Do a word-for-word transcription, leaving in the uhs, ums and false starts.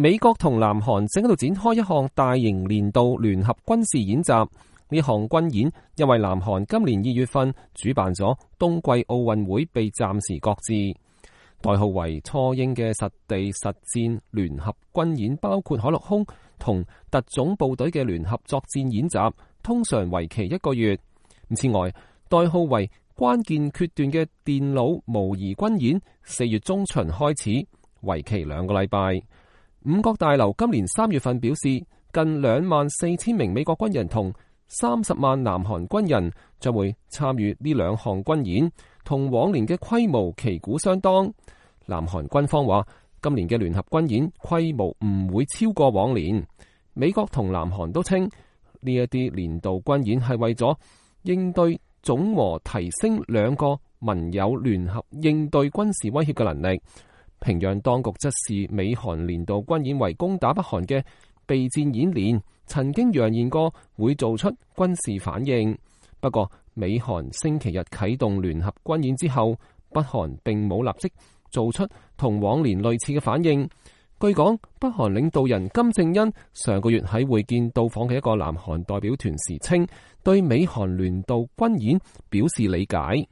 美國同南韓正喺度展開一項大型年度聯合軍事演習。呢項軍演因為南韓今年二月份主辦咗冬季奧運會被暫時擱置。代號為初鷹嘅實地實戰聯合軍演包括海陸空同特種部隊嘅聯合作戰演習，通常為期一個月。此外，代號為關鍵決斷嘅電腦模擬軍演四月中旬開始，為期兩個禮拜。五角大樓今年三月份表示，近兩萬四千名美國軍人同三十萬南韓軍人將會參與呢兩項軍演，同往年嘅規模旗鼓相當。南韓軍方話，今年嘅聯合軍演規模唔會超過往年。美國同南韓都稱呢一啲年度軍演係為咗應對總和提升兩個盟友聯合應對軍事威脅嘅能力。平壤當局則視美韓年度軍演為攻打北韓嘅備戰演練，曾經揚言過會做出軍事反應。不過，美韓星期日啟動聯合軍演之後，北韓並冇立即做出同往年類似嘅反應。據講，北韓領導人金正恩上個月喺會見到訪嘅一個南韓代表團時稱，對美韓年度軍演表示理解。